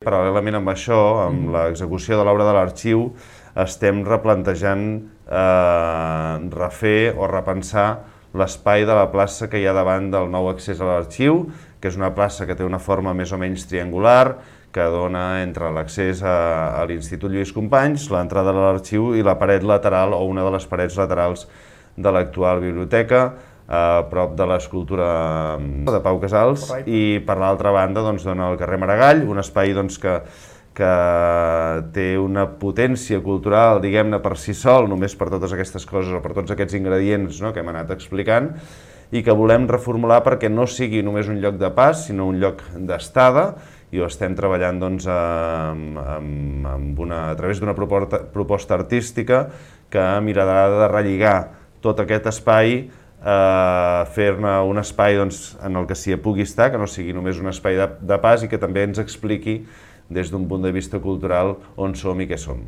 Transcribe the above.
Paral·lelament amb això, amb l'execució de l'obra de l'arxiu, estem replantejant refer o repensar l'espai de la plaça que hi ha davant del nou accés a l'arxiu, que és una plaça que té una forma més o menys triangular, que dona entre l'accés a l'Institut Lluís Companys, l'entrada a l'arxiu i la paret lateral o una de les parets laterals de l'actual biblioteca, a prop de l'escultura de Pau Casals, i per l'altra banda dona el carrer Maragall, un espai que té una potència cultural, diguem-ne, per si sol, només per totes aquestes coses o per tots aquests ingredients que hem anat explicant, i que volem reformular perquè no sigui només un lloc de pas, sinó un lloc d'estada, i ho estem treballant a través d'una proposta artística que mirarà de relligar tot aquest espai, fer-ne un espai en el que s'hi pugui estar, que no sigui només un espai de pas i que també ens expliqui des d'un punt de vista cultural on som i què som.